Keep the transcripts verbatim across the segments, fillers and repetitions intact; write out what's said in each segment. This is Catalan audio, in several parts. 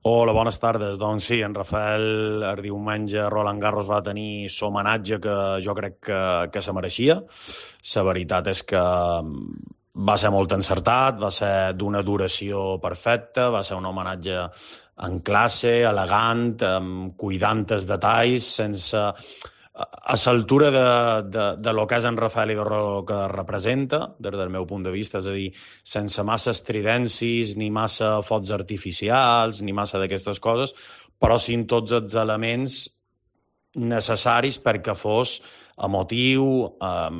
Hola, bones tardes. Doncs sí, en Rafael el diumenge a Roland Garros va tenir l'homenatge que jo crec que, que se mereixia. La veritat és que mm, va ser molt encertat, va ser d'una duració perfecta, va ser un homenatge en classe, elegant, amb cuidant els detalls, sense a l'altura de, de, de lo que és en Rafael i de lo que representa, des del meu punt de vista, és a dir, sense massa estridències, ni massa focs artificials, ni massa d'aquestes coses, però sí en tots els elements necessaris perquè fos emotiu, eh,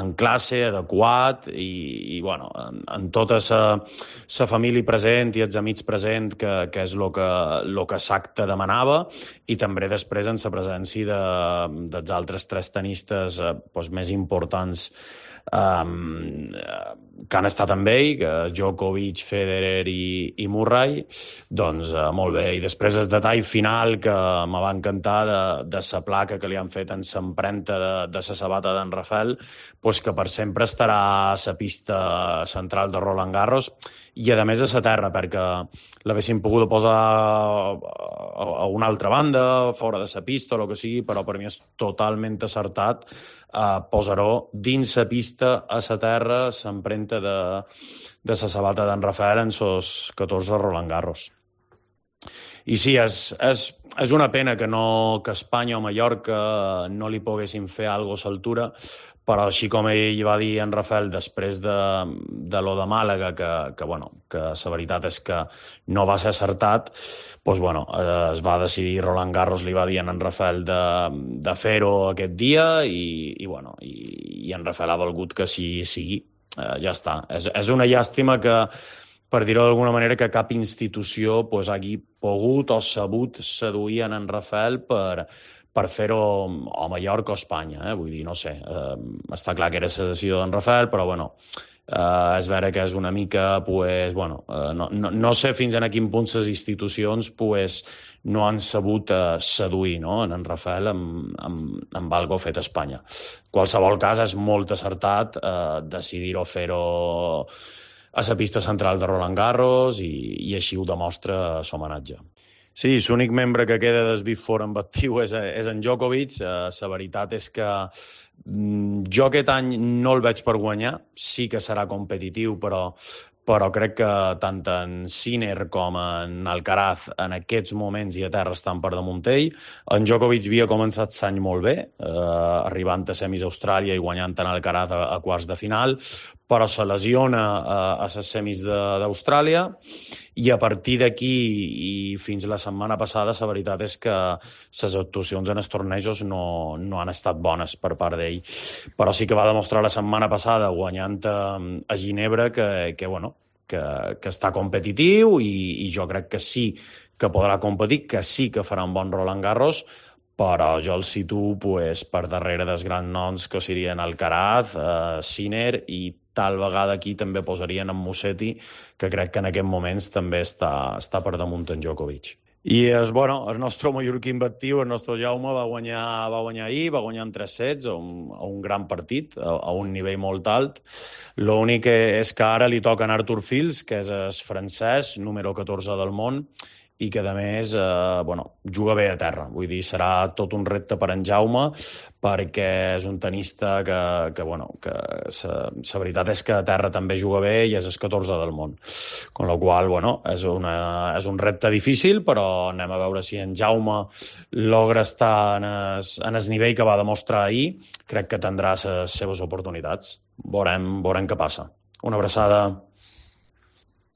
en classe, adequat i, i bueno, en, en tota la família present i els amics present, que, que és el que, lo que l'acte demanava, i també després en la presència de, dels altres tres tenistes eh, doncs més importants um, que han estat amb ell, que Djokovic, Federer i, i Murray, doncs uh, molt bé. I després el detall final que me va encantar de, de la placa que li han fet en l'empremta de, de la sabata d'en Rafael, pues que per sempre estarà a la pista central de Roland Garros i a més a la terra, perquè l'haguessin pogut posar a, a una altra banda, fora de la pista o el que sigui, però per mi és totalment acertat eh, posar-ho dins la pista, a la terra, l'empremta de, de la sabata d'en Rafael en sos catorze Roland Garros. I sí, és, és, és una pena que, no, que Espanya o Mallorca no li poguessin fer alguna cosa a l'altura, però així com ell va dir en Rafael després de, de lo de Màlaga, que, que, bueno, que la veritat és que no va ser acertat, doncs, bueno, eh, es va decidir, Roland Garros li va dir en Rafael de, de fer-ho aquest dia i, i, bueno, i, i en Rafael ha volgut que sí sigui. Eh, ja està. És, és una llàstima que, per dir-ho d'alguna manera, que cap institució pues, hagi pogut o sabut seduir en Rafael per, per fer-ho a Mallorca o Espanya. Eh? Vull dir, no sé, eh, està clar que era la decisió d'en Rafael, però bueno, eh, és vera que és una mica, pues, bueno, eh, no, no, no sé fins a quin punt les institucions pues, no han sabut eh, seduir no? en Rafael amb, amb, amb algo fet a Espanya. En qualsevol cas, és molt acertat eh, decidir-ho fer-ho a la pista central de Roland Garros i, i així ho demostra l'homenatge. Sí, l'únic membre que queda del Big Four en actiu és, és en Djokovic. La eh, veritat és que mm, jo aquest any no el veig per guanyar. Sí que serà competitiu, però, però crec que tant en Sinner com en Alcaraz en aquests moments i a terra estan per damunt ell. En Djokovic havia començat l'any molt bé, eh, arribant a semis a Austràlia i guanyant en Alcaraz a, a quarts de final, però se lesiona a, a les semis d'Austràlia i a partir d'aquí i fins la setmana passada la veritat és que les actuacions en els tornejos no, no han estat bones per part d'ell, però sí que va demostrar la setmana passada guanyant a, a Ginebra que, que, bueno, que, que està competitiu i, i jo crec que sí que podrà competir, que sí que farà un bon Roland Garros, però jo el situo pues, per darrere dels grans noms que serien Alcaraz, eh, Sinner i tal vegada aquí també posarien en Musetti, que crec que en aquests moments també està, està per damunt en Djokovic. I és, bueno, el nostre mallorquí inventiu, el nostre Jaume, va guanyar, va guanyar ahir, va guanyar en tres sets, a un, a un gran partit, a, a un nivell molt alt. L'únic és que ara li toca en Arthur Fils, que és el francès, número catorze del món, i que, a més, eh, bueno, juga bé a terra. Vull dir, serà tot un repte per en Jaume, perquè és un tenista que, que bueno, que la veritat és que a terra també juga bé i és el catorze del món. Con la qual, bueno, és, una, és un repte difícil, però anem a veure si en Jaume logra estar en el, en el nivell que va demostrar ahir. Crec que tindrà les seves oportunitats. Veurem, veurem què passa. Una abraçada.